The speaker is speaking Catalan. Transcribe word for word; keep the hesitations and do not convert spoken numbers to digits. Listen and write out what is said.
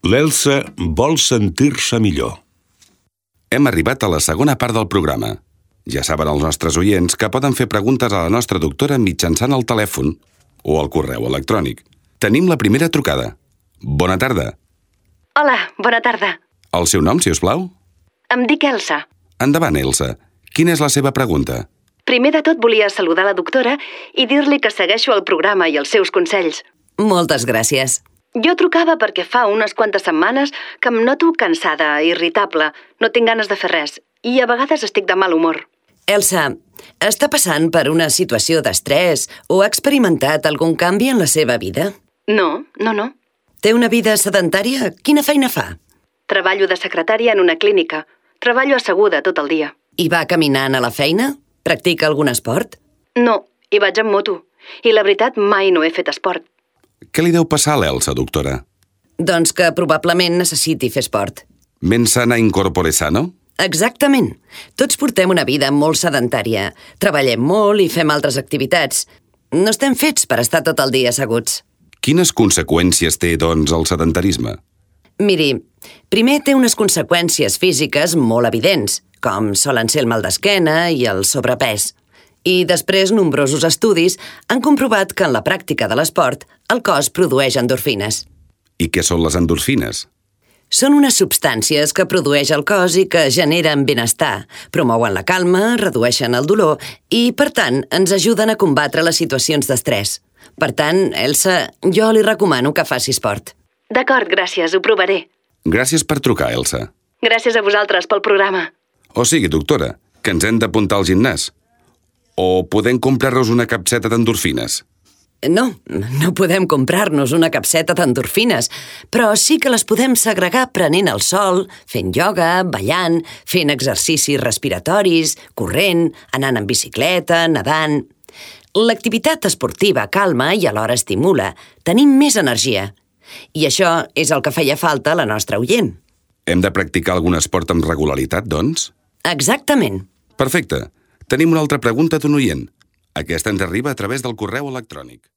L'Elsa vol sentir-se millor. Hem arribat a la segona part del programa. Ja saben els nostres oients que poden fer preguntes a la nostra doctora mitjançant el telèfon o el correu electrònic. Tenim la primera trucada. Bona tarda. Hola, bona tarda. El seu nom, si us plau? Em dic Elsa. Endavant, Elsa. Quina és la seva pregunta? Primer de tot volia saludar la doctora i dir-li que segueixo el programa i els seus consells. Moltes gràcies. Jo trucava perquè fa unes quantes setmanes que em noto cansada, irritable, no tinc ganes de fer res i a vegades estic de mal humor. Elsa, està passant per una situació d'estrès o ha experimentat algun canvi en la seva vida? No, no, no. Té una vida sedentària? Quina feina fa? Treballo de secretària en una clínica. Treballo asseguda tot el dia. I va caminant a la feina? Practica algun esport? No, hi vaig amb moto. I la veritat, mai no he fet esport. Què li deu passar a l'Elsa, doctora? Doncs que probablement necessiti fer esport. Mens sana in corpore sano? Exactament. Tots portem una vida molt sedentària. Treballem molt i fem altres activitats. No estem fets per estar tot el dia asseguts. Quines conseqüències té, doncs, el sedentarisme? Miri, primer té unes conseqüències físiques molt evidents, com solen ser el mal d'esquena i el sobrepès. I després nombrosos estudis han comprovat que en la pràctica de l'esport el cos produeix endorfines. I què són les endorfines? Són unes substàncies que produeix el cos i que generen benestar, promouen la calma, redueixen el dolor i, per tant, ens ajuden a combatre les situacions d'estrès. Per tant, Elsa, jo li recomano que faci esport. D'acord, gràcies, ho provaré. Gràcies per trucar, Elsa. Gràcies a vosaltres pel programa. O sigui, doctora, que ens hem d'apuntar al gimnàs. O podem comprar-nos una capseta d'endorfines? No, no podem comprar-nos una capseta d'endorfines, però sí que les podem segregar prenent el sol, fent ioga, ballant, fent exercicis respiratoris, corrent, anant en bicicleta, nedant. L'activitat esportiva calma i alhora estimula. Tenim més energia. I això és el que feia falta a la nostra oient. Hem de practicar algun esport amb regularitat, doncs? Exactament. Perfecte. Tenim una altra pregunta d'un oient. Aquesta ens arriba a través del correu electrònic.